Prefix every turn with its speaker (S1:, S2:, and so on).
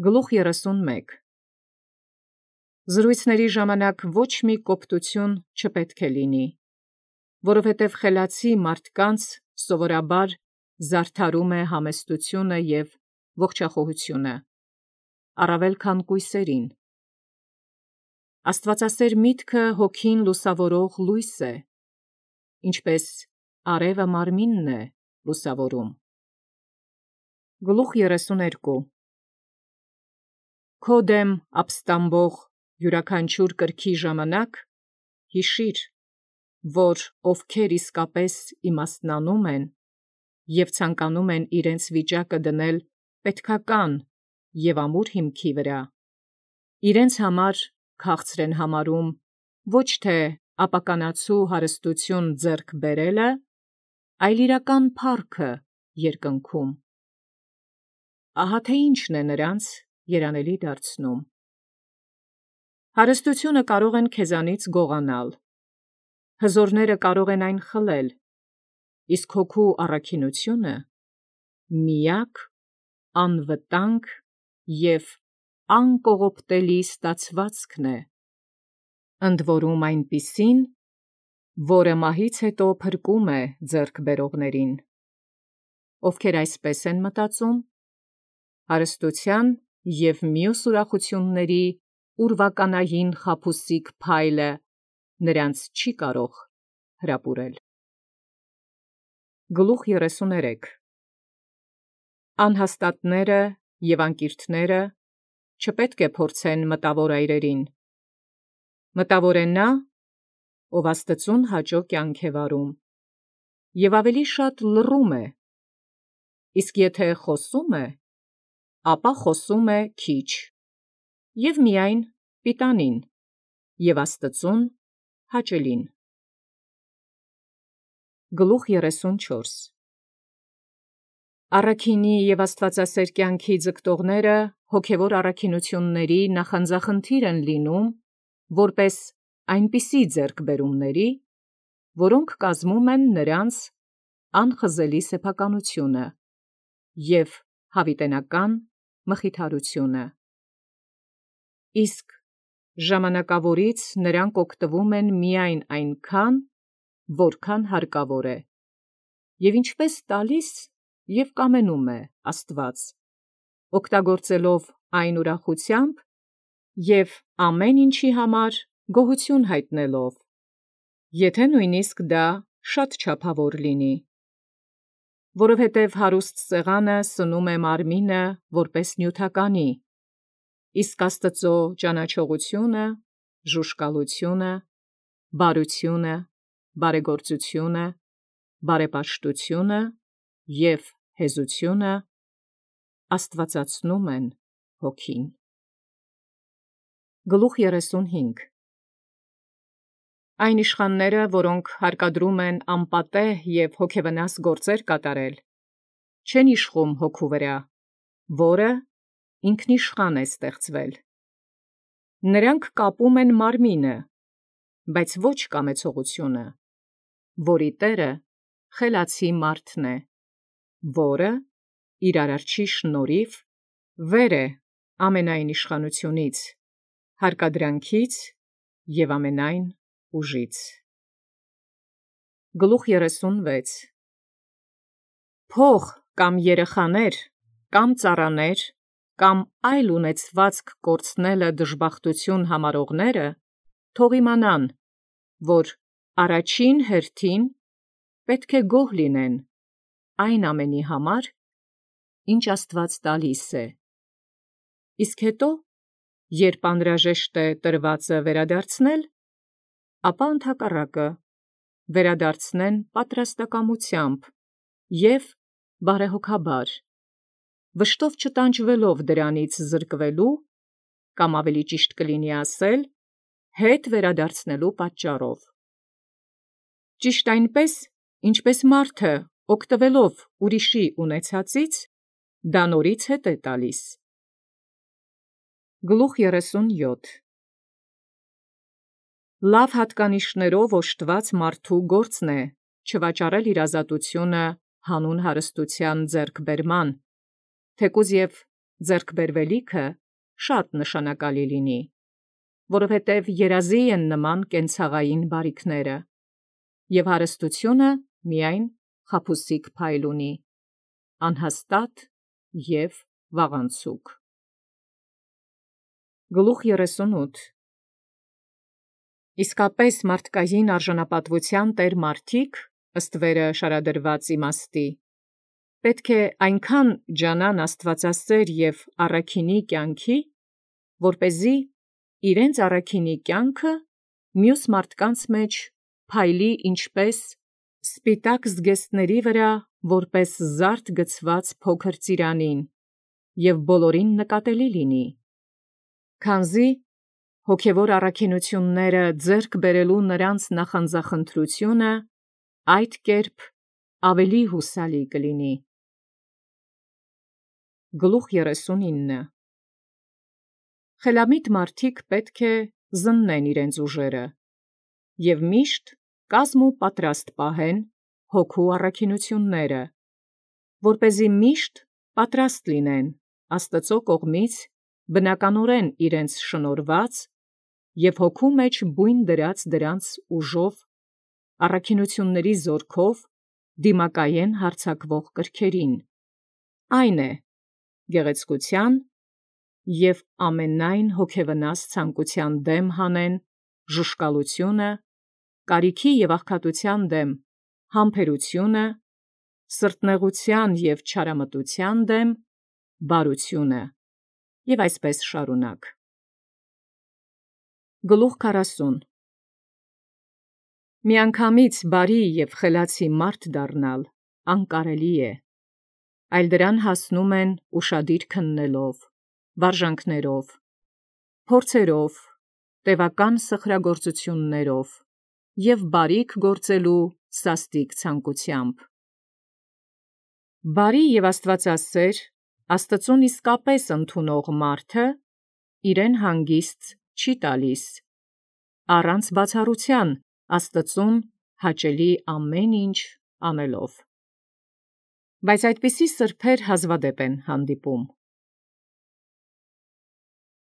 S1: Գլուխ 31 Զրույցների ժամանակ ոչ մի կոպտություն չպետք է լինի, որովհետև խելացի մարդկանց սովորաբար զարդարում է համեստությունը և ողջախոհությունը, առավել քան կույսերին։ Աստվածասեր միտքը հոգին լուսավորող լույս է, ինչպես արևը մարմինն է լուսավորում։ Գլուխ 32 Քո դեմ ապստամբող յուրաքանչյուր կրքի ժամանակ հիշիր, որ ովքեր իսկապես իմաստնանում են և ցանկանում են իրենց վիճակը դնել պետքական և ամուր հիմքի վրա, իրենց համար քաղցր են համարում ոչ թե ապականացու հարստություն ձեռք բերելը, այլ իրական փառքը երկնքում։ Ահա թե ինչն է նրանց երանելի դարձնում։ Հարստությունը կարող են քեզանից գողանալ, հզորները կարող են այն խլել, իսկ հոգու առաքինությունը միակ, անվտանգ և անկողոպտելի ստացվածքն է, ընդ որում այնպիսին, որը մահից հետո փրկում է ձեռք բերողներին, ովքեր այսպես են մտածում, հարստության և մյուս ուրախությունների ուրվականային խաբուսիկ փայլը նրանց չի կարող հրապուրել։ Գլուխ 33 Անհաստատները և անկիրթները չպետք է փորձեն մտավոր այրերին։ Մտավոր է նա, ով Աստծուն հաճո կյանք է վարում, և ավելի շատ լռում է, իսկ եթե խոսում է, ապա խոսում է քիչ, և միայն պիտանին և Աստծուն հաճելին։ Գլուխ 34 Առաքինի և աստվածասեր կյանքի ձգտողները հոգևոր առաքինությունների նախանձախնդիր են լինում, որպես այնպիսի ձեռքբերումների, որոնք կազմում են նրանց անխզելի սեփականությունը և հավիտենական մխիթարությունը։ Իսկ ժամանակավորից նրանք օգտվում են միայն այնքան, որքան հարկավոր է, և ինչպես տալիս և կամենում է Աստված, օգտագործելով այն ուրախությամբ և ամեն ինչի համար գոհություն հայտնելով, եթե նույնիսկ դա շատ չափավոր լինի, որովհետև հարուստ սեղանը սնում է մարմինը որպես նյութականի, իսկ Աստծո ճանաչողությունը, ժուժկալությունը, բարությունը, բարեգործությունը, բարեպաշտությունը և հեզությունը աստվածացնում են հոգին։ Գլուխ 35 Այն իշխանները, որոնք հարկադրում են անպատեհ և հոգևնաս գործեր կատարել, չեն իշխում հոգու վրա, որը ինքնիշխան է ստեղծվել։ Նրանք կապում են մարմինը, բայց ոչ կամեցողությունը, որի տերը խելացի մարդն է, որը իր արարչի շնորհիվ վեր է ամենայն իշխանությունից, հարկադրանքից և ամենայն ուժից։ Գլուխ 36 Փող կամ երեխաներ, կամ ծառաներ, կամ այլ ունեցվածք կորցնելը դժբախտություն համարողները թող իմանան, որ առաջին հերթին պետք է գոհ լինեն այն ամենի համար, ինչ Աստված տալիս է, իսկ հետո, երբ անհրաժեշտ է տրվածը վերադարձնել, ապա ընդհակառակը վերադարձնեն պատրաստակամությամբ և բարեհոգաբար, վշտով չտանջվելով դրանից զրկվելու, կամ ավելի ճիշտ կլինի ասել, հետ վերադարձնելու պատճառով։ Ճիշտ այնպես, ինչպես մարդը, օգտվելով ուրիշի ունեցածից, դա նորից հետ է տալիս։ Գլուխ 37 Լավ հատկանիշներով օժտված մարդու գործն է չվաճառել իր ազատությունը հանուն հարստության ձեռքբերման, թեկուզ և ձեռքբերվելիքը շատ նշանակալի լինի, որովհետև երազի են նման կենցաղային բարիքները, և հարստությունը միայն խաբուսիկ փայլ ունի, անհաստատ և վաղանցուկ։ Գլուխ 38 Իսկապես մարդկային արժանապատվության տեր մարդիկ, ըստ վերը շարադրված իմաստի, պետք է այնքան ջանան աստվածասեր և առաքինի կյանքի, որպեսզի իրենց առաքինի կյանքը մյուս մարդկանց մեջ փայլի ինչպես սպիտակ զգեստների վրա, որպես զարդ գցված փոքր ծիրանին, և բոլորին նկատելի լինի, քանզի հոգևոր առաքինությունները ձեռք բերելու նրանց նախանձախնդրությունը այդ կերպ ավելի հուսալի կլինի։ Գլուխ 39 Խելամիտ մարդիկ պետք է զննեն իրենց ուժերը և միշտ կազմ ու պատրաստ պահեն հոգու առաքինությունները, որպեսզի միշտ պատրաստ լինեն Աստծո կողմից բնականորեն իրենց շնորհված և հոգու մեջ բույն դրած դրանց ուժով, առաքինությունների զորքով դիմակայեն հարձակվող կրքերին, այն է, գեղեցկության և ամենայն հոգևնաս ցանկության դեմ հանեն ժուշկալությունը, կարիքի և աղքատության դեմ համբերությունը, սրտնեղության և չարամտության դեմ բարությունը, և այսպես շարունակ։ Գլուխ 40 Միանգամից բարի և խելացի մարդ դառնալ անկարելի է, այլ դրան հասնում են ուշադիր քննելով, վարժանքներով, փորձերով, տևական սխրագործություններով և բարիք գործելու սաստիկ ցանկությամբ։ Բարի և աստվածասեր, Աստծուն իսկապես ընդունող մարդը իրեն հանգիստ չի տալիս, առանց բացառության Աստծուն հաճելի ամեն ինչ անելով։ Բայց այդպիսի սրբեր հազվադեպ են հանդիպում։